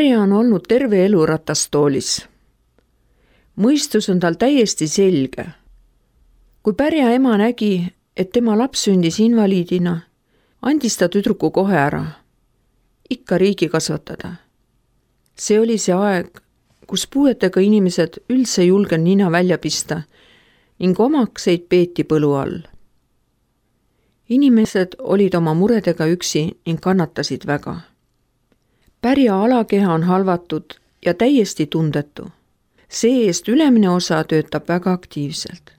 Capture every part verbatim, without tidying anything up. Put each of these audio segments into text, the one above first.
Pärja on olnud terve elu ratastoolis. Mõistus on tal täiesti selge. Kui Pärja ema nägi, et tema laps sündis invaliidina, andis ta tüdruku kohe ära. Ikka riigi kasvatada. See oli see aeg, kus puuetega inimesed üldse julgen nina välja pista ning omakseid peeti põlu all. Inimesed olid oma muredega üksi ning kannatasid väga. Pärja alakeha on halvatud ja täiesti tundetu. See-eest ülemine osa töötab väga aktiivselt.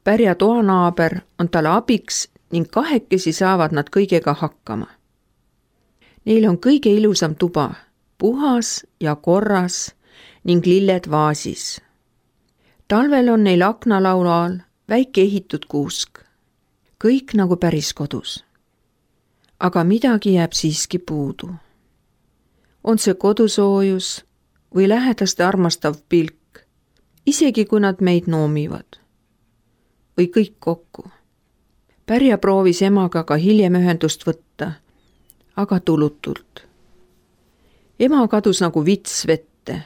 Pärja toanaaber on talle abiks ning kahekesi saavad nad kõigega hakkama. Neil on kõige ilusam tuba, puhas ja korras ning lilled vaasis. Talvel on neil aknalaulu all väike ehitud kuusk. Kõik nagu päris kodus. Aga midagi jääb siiski puudu. On see kodusoojus või lähedaste armastav pilk, isegi kui nad meid noomivad. Või kõik kokku. Pärja proovis emaga ka hiljem ühendust võtta, aga tulutult. Ema kadus nagu vits vette.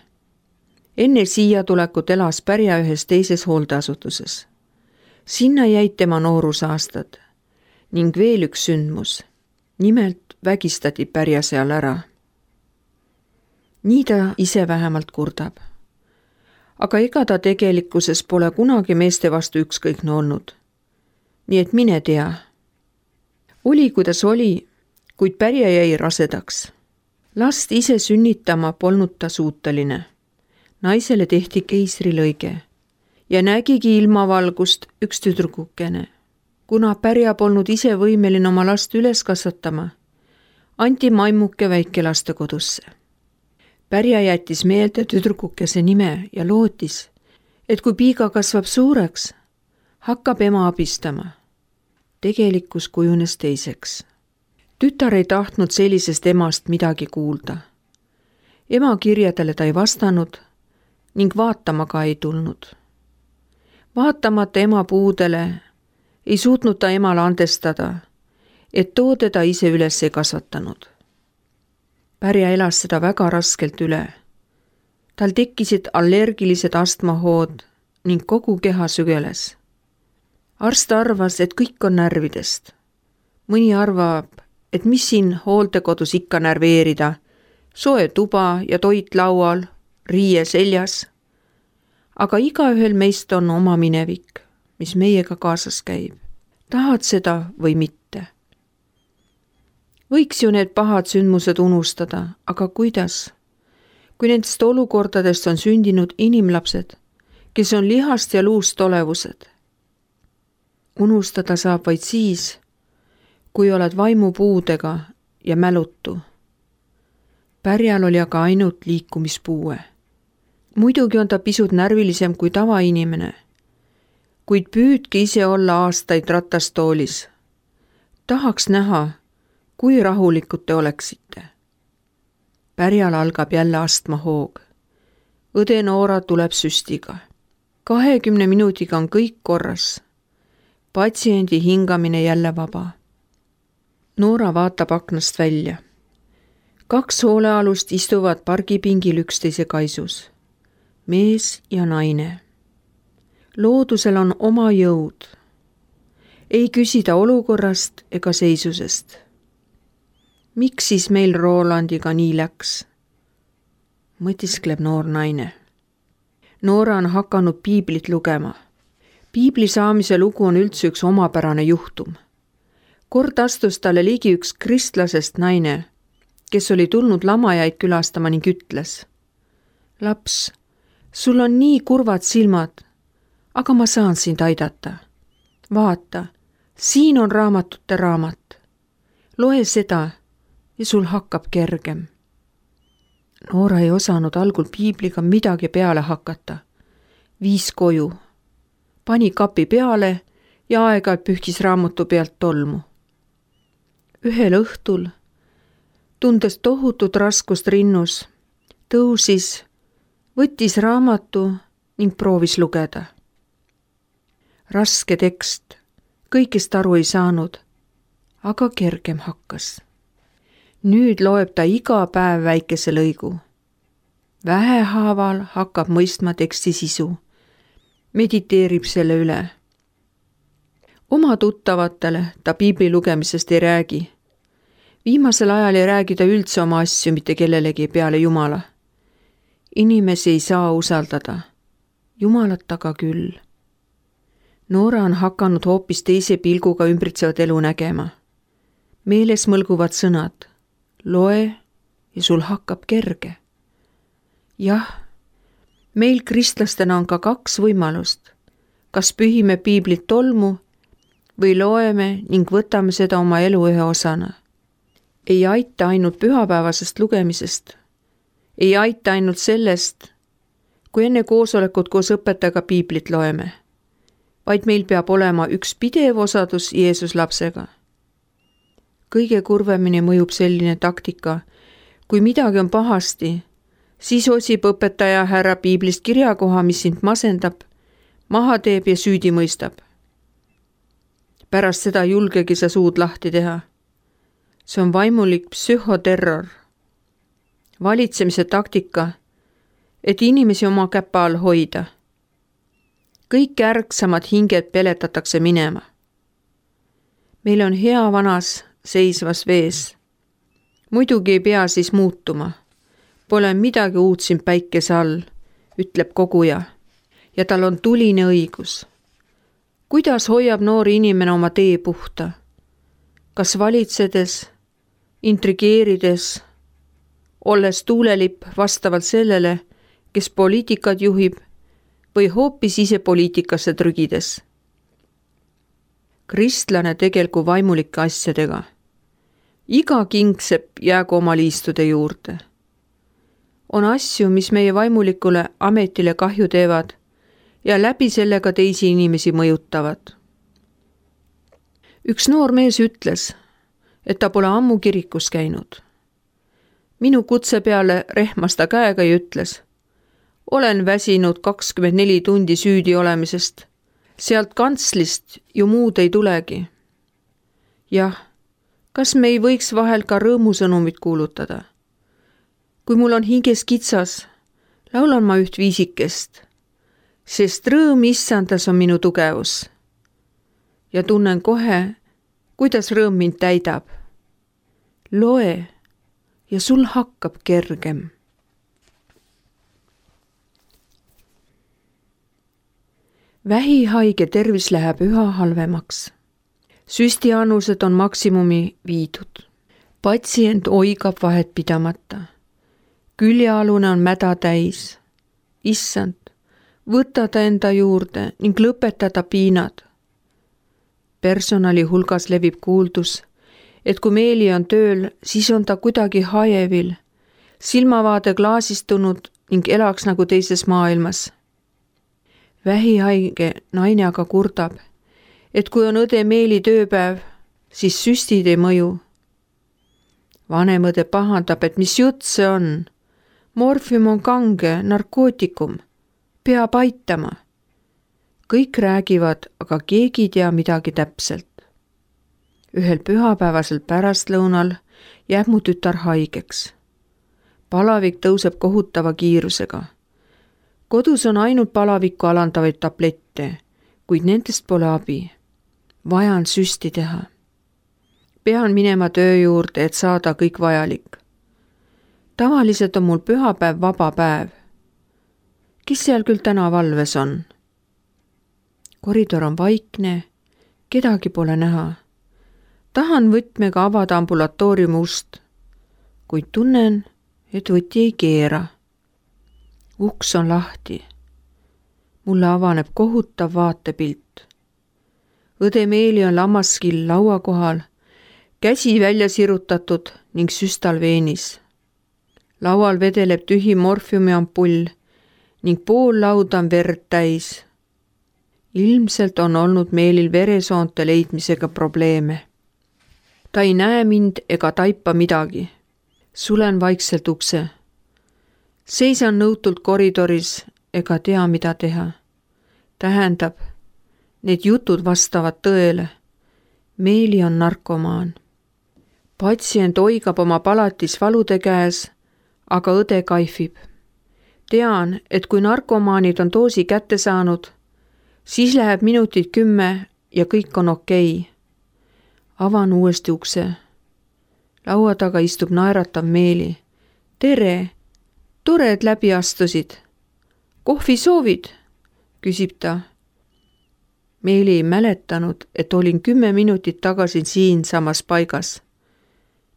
Enne siia tulekut elas Pärja ühes teises hooldeasutuses. Sinna jäid tema noorusaastad ning veel üks sündmus. Nimelt vägistati Pärja seal ära. Nii ta ise vähemalt kurdab. Aga ega ta tegelikkuses pole kunagi meeste vastu ükskõikne olnud. Nii et mine tea. Oli kuidas oli, kuid Pärja jäi rasedaks. Last ise sünnitama polnud ta suuteline. Naisele tehti keisrilõige ja nägigi ilmavalgust üks tüdrukukene. Kuna Pärja polnud ise võimeline oma last üles kasvatama, anti maimuke väikelastekodusse. Pärja jättis meelde tüdrukukese nime ja lootis, et kui piiga kasvab suureks, hakkab ema abistama. Tegelikkus kujunes teiseks. Tütar ei tahtnud sellisest emast midagi kuulda. Ema kirjadele ta ei vastanud ning vaatama ka ei tulnud. Vaatamata ema puudele ei suutnud ta emale andestada, et too teda ise üles ei kasvatanud. Pärja elas seda väga raskelt üle. Tal tekkisid allergilised astmahood ning kogu keha sügeles. Arst arvas, et kõik on närvidest. Mõni arvab, et mis siin hooldekodus ikka närveerida, soe tuba ja toit laual, riie seljas. Aga igaühel meist on oma minevik, mis meiega kaasas käib. Tahad seda või mitte? Võiks ju need pahad sündmused unustada, aga kuidas? Kui nendest olukordadest on sündinud inimlapsed, kes on lihast ja luust olevused. Unustada saab vaid siis, kui oled vaimupuudega ja mälutu. Pärjal oli aga ainult liikumispuue. Muidugi on ta pisut närvilisem kui tavainimene, kuid püüdki ise olla aastaid ratastoolis. Tahaks näha, kui rahulikud te oleksite. Pärjal algab jälle astmahoog. Õde Noora tuleb süstiga. kahekümne minutiga on kõik korras. Patsiendi hingamine jälle vaba. Noora vaatab aknast välja. Kaks hoolealust istuvad pargipingil üksteise kaisus. Mees ja naine. Loodusel on oma jõud. Ei küsida olukorrast ega seisusest. Miks siis meil Rolandiga nii läks? Mõtiskleb noor naine. Noora on hakanud piiblit lugema. Piibli saamise lugu on üldse üks omapärane juhtum. Kord astus talle ligi üks kristlasest naine, kes oli tulnud lamajaid külastama ning ütles. Laps, sul on nii kurvad silmad, aga ma saan sind aidata. Vaata, siin on raamatute raamat. Loe seda ja sul hakkab kergem. Noora ei osanud algul piibliga midagi peale hakata. Viis koju. Pani kapi peale ja aeg-ajalt pühkis raamatu pealt tolmu. Ühel õhtul, tundes tohutut raskust rinnus, tõusis, võttis raamatu ning proovis lugeda. Raske tekst, kõigest aru ei saanud, aga kergem hakkas. nüüd loeb ta iga päev väikese lõigu. Vähehaaval hakkab mõistma teksti sisu. Mediteerib selle üle. Oma tuttavatele ta piibli lugemisest ei räägi. Viimasel ajal ei räägi ta üldse oma asju mitte kellelegi peale Jumala. Inimesi ei saa usaldada. Jumalat aga küll. Noora on hakanud hoopis teise pilguga ümbritsevat elu nägema. Meeles mõlguvad sõnad. Loe ja sul hakkab kerge. Jah, meil kristlastena on ka kaks võimalust. Kas pühime piiblit tolmu või loeme ning võtame seda oma elu ühe osana. Ei aita ainult pühapäevasest lugemisest. Ei aita ainult sellest, kui enne koosolekut koos õpetajaga piiblit loeme, vaid meil peab olema üks pidev osadus Jeesus lapsega. Kõige kurvemini mõjub selline taktika, kui midagi on pahasti, siis otsib õpetaja härra piiblist kirjakoha, mis sind masendab, maha teeb ja süüdi mõistab. Pärast seda julgegi sa suud lahti teha. See on vaimulik psühhoterror. Valitsemise taktika, et inimesi oma käpa all hoida. Kõik ärksamad hinged peletatakse minema. Meil on hea vanas seisvas vees. Muidugi ei pea siis muutuma. Pole midagi uut siin päikese all, ütleb koguja. Ja tal on tuline õigus. Kuidas hoiab noor inimene oma tee puhta? Kas valitsedes, intrigeerides, olles tuulelipp vastavalt sellele, kes poliitikat juhib või hoopis ise poliitikasse trügides? Kristlane tegelgu vaimulike asjadega. Iga kingsepp jäägu oma liistude juurde. On asju, mis meie vaimulikule ametile kahju teevad ja läbi sellega teisi inimesi mõjutavad. Üks noor mees ütles, et ta pole ammu kirikus käinud. Minu kutse peale rehmas ta käega ja ütles, olen väsinud kakskümmend neli tundi süüdi olemisest. Sealt kantslist ju muud ei tulegi. Jah, kas me ei võiks vahel ka rõõmusõnumit kuulutada? Kui mul on hinges kitsas, laulan ma üht viisikest, sest rõõm issandas on minu tugevus. Ja tunnen kohe, kuidas rõõm mind täidab. Loe ja sul hakkab kergem. Vähihaige tervis läheb üha halvemaks. Süstianused on maksimumi viidud. Patsient oigab vahet pidamata. Küljealune on mäda täis. Issand, võta ta enda juurde ning lõpeta ta piinad. Personali hulgas levib kuuldus, et kui Meeli on tööl, siis on ta kuidagi hajevil, silmavaade klaasistunud ning elaks nagu teises maailmas. Vähihaige naine aga kurdab, et kui on õde Meeli tööpäev, siis süstid ei mõju. Vanem õde pahandab, et mis jutt see on. Morfium on kange, narkootikum, peab aitama. Kõik räägivad, aga keegi ei tea midagi täpselt. Ühel pühapäevasel pärastlõunal jääb mu tütar haigeks. Palavik tõuseb kohutava kiirusega. Kodus on ainult palavikku alandavaid tablette, kuid nendest pole abi. Vajan süsti teha. Pean minema töö juurde, et saada kõik vajalik. Tavaliselt on mul pühapäev vaba päev. Kes seal küll täna valves on? Koridor on vaikne, kedagi pole näha. Tahan võtmega avada ambulatooriumi ust, kuid tunnen, et võti ei keera. Uks on lahti. Mulle avaneb kohutav vaatepilt. Õde Meeli on lammaskill laua kohal, käsi välja sirutatud ning süstal veenis. Laual vedeleb tühi morfiumi ampull ning pool lauda on verd täis. Ilmselt on olnud Meelil veresoonte leidmisega probleeme. Ta ei näe mind ega taipa midagi. Sulen vaikselt ukse. Seisan nõutult koridoris ega tea, mida teha. Tähendab, need jutud vastavad tõele. Meeli on narkomaan. patsient oigab oma palatis valude käes, aga õde kaifib. Tean, et kui narkomaanid on doosi kätte saanud, siis läheb minutid kümme ja kõik on okei. Avan uuesti ukse. Laua taga istub naeratav Meeli. Tere, tore, et läbi astusid. Kohvi soovid? Küsib ta. Meeli ei mäletanud, et olin kümme minutit tagasi siin samas paigas.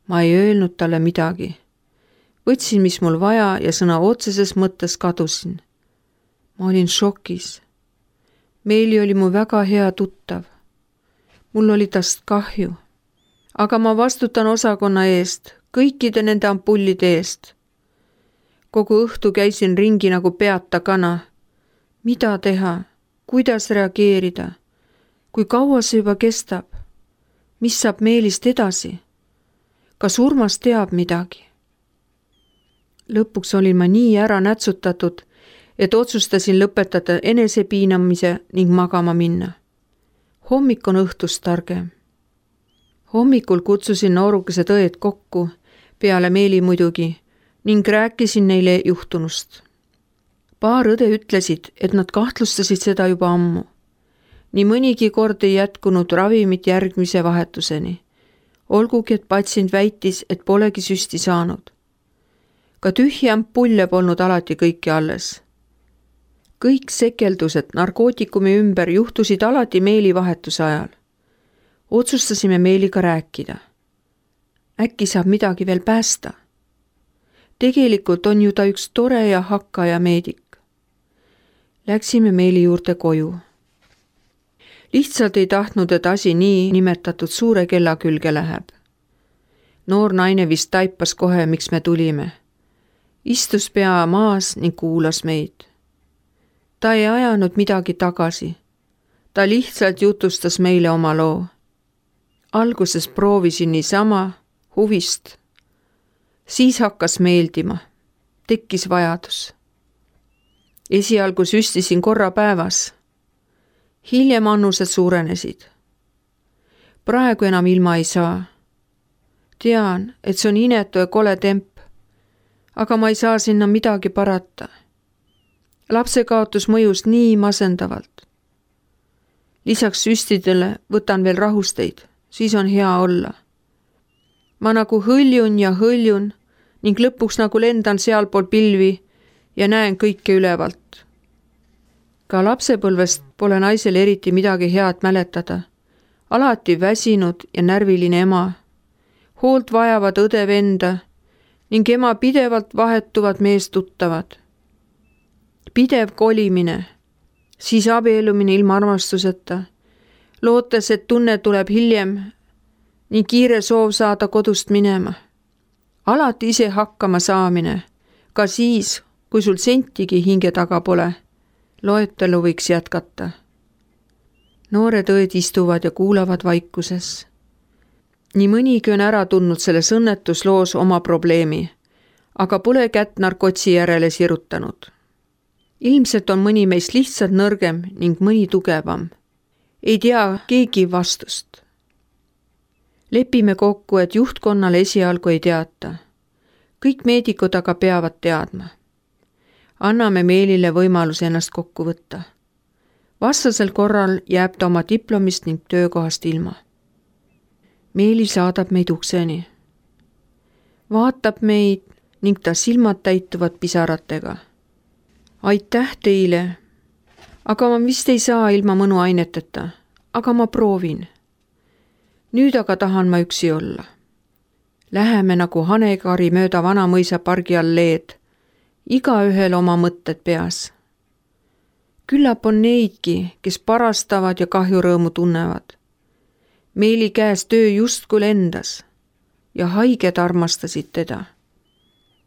Ma ei öelnud talle midagi. Võtsin, mis mul vaja ja sõna otseses mõttes kadusin. Ma olin šokis. Meeli oli mu väga hea tuttav. Mul oli tast kahju. Aga ma vastutan osakonna eest, kõikide nende ampullide eest. Kogu õhtu käisin ringi nagu peata kana. Mida teha? Kuidas reageerida? Kui kaua see juba kestab? Mis saab Meelist edasi? Kas Urmas teab midagi? Lõpuks olin ma nii ära nätsutatud, et otsustasin lõpetada enesepiinamise ning magama minna. Hommik on õhtust targem. Hommikul kutsusin noorukesed õed kokku, peale Meeli muidugi, ning rääkisin neile juhtunust. Paar õde ütlesid, et nad kahtlustasid seda juba ammu. Nii mõnigi kord ei jätkunud ravimit järgmise vahetuseni. Olgugi, et patsient väitis, et polegi süsti saanud. Ka tühja ampulle polnud alati kõiki alles. Kõik sekeldused narkootikumi ümber juhtusid alati Meeli vahetuse ajal. Otsustasime Meeliga rääkida. Äkki saab midagi veel päästa? Tegelikult on ju ta üks tore ja hakkaja meedik. Läksime Meeli juurde koju. Lihtsalt ei tahtnud, et asi nii nimetatud suure kella külge läheb. Noor naine vist taipas kohe, miks me tulime. Istus pea maas ning kuulas meid. Ta ei ajanud midagi tagasi. Ta lihtsalt jutustas meile oma loo. Alguses proovisin niisama huvist. Siis hakkas meeldima. Tekkis vajadus. Esialgu süstisin korra päevas. Hiljem annused suurenesid. Praegu enam ilma ei saa. Tean, et see on inetu ja kole temp, aga ma ei saa sinna midagi parata. Lapse kaotus mõjus nii masendavalt. Lisaks süstidele võtan veel rahusteid, siis on hea olla. Ma nagu hõljun ja hõljun ning lõpuks nagu lendan sealpool pilvi ja näen kõike ülevalt. Ka lapsepõlvest pole naisel eriti midagi head mäletada. Alati väsinud ja närviline ema. Hoolt vajavad õde venda ning ema pidevalt vahetuvad meest tuttavad. Pidev kolimine, siis abielumine ilma armastuseta, lootes, et tunne tuleb hiljem ning kiire soov saada kodust minema. Alati ise hakkama saamine, ka siis, kui sul sentigi hinge taga pole. Loetelu võiks jätkata. Noored õed istuvad ja kuulavad vaikuses. Nii mõnigi on ära tundnud selles õnnetusloos oma probleemi, aga pole kätt narkotsi järele sirutanud. Ilmselt on mõni meist lihtsalt nõrgem ning mõni tugevam. Ei tea keegi vastust. Lepime kokku, et juhtkonnale esialgu ei teata. Kõik meedikud aga peavad teadma. Anname Meelile võimaluse ennast kokku võtta. Vastasel korral jääb ta oma diplomist ning töökohast ilma. Meeli saadab meid ukseni. Vaatab meid ning ta silmad täituvad pisaratega. Aitäh teile, aga ma vist ei saa ilma mõnuaineteta, aga ma proovin. Nüüd aga tahan ma üksi olla. Läheme nagu hanekari mööda Vanamõisa pargi alleed, igaühel oma mõtted peas. Küllap on neidki, kes parastavad ja kahjurõõmu tunnevad. Meeli käes töö justkui lendas ja haiged armastasid teda.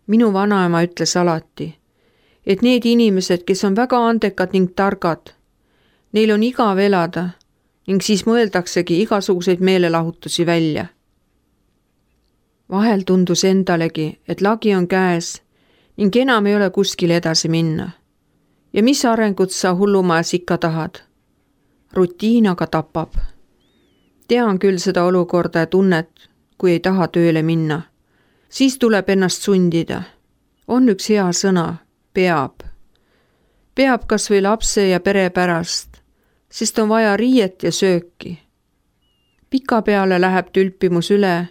Minu vanaema ütles alati, et need inimesed, kes on väga andekad ning targad, neil on igav elada ning siis mõeldaksegi igasuguseid meelelahutusi välja. Vahel tundus endalegi, et lagi on käes ning enam ei ole kuskil edasi minna. Ja mis arengut sa hullumajas ikka tahad? Rutiin aga tapab. Tean küll seda olukorda ja tunnet, kui ei taha tööle minna. Siis tuleb ennast sundida. On üks hea sõna, peab. Peab kas või lapse ja pere pärast, sest on vaja riiet ja sööki. Pika peale läheb tülpimus üle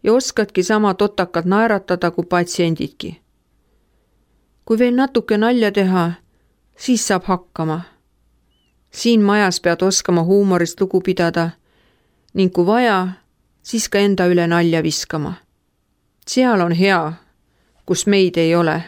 ja oskadki sama totakalt naeratada kui patsiendidki. Kui veel natuke nalja teha, siis saab hakkama. Siin majas pead oskama huumorist lugu pidada ning kui vaja, siis ka enda üle nalja viskama. Seal on hea, kus meid ei ole.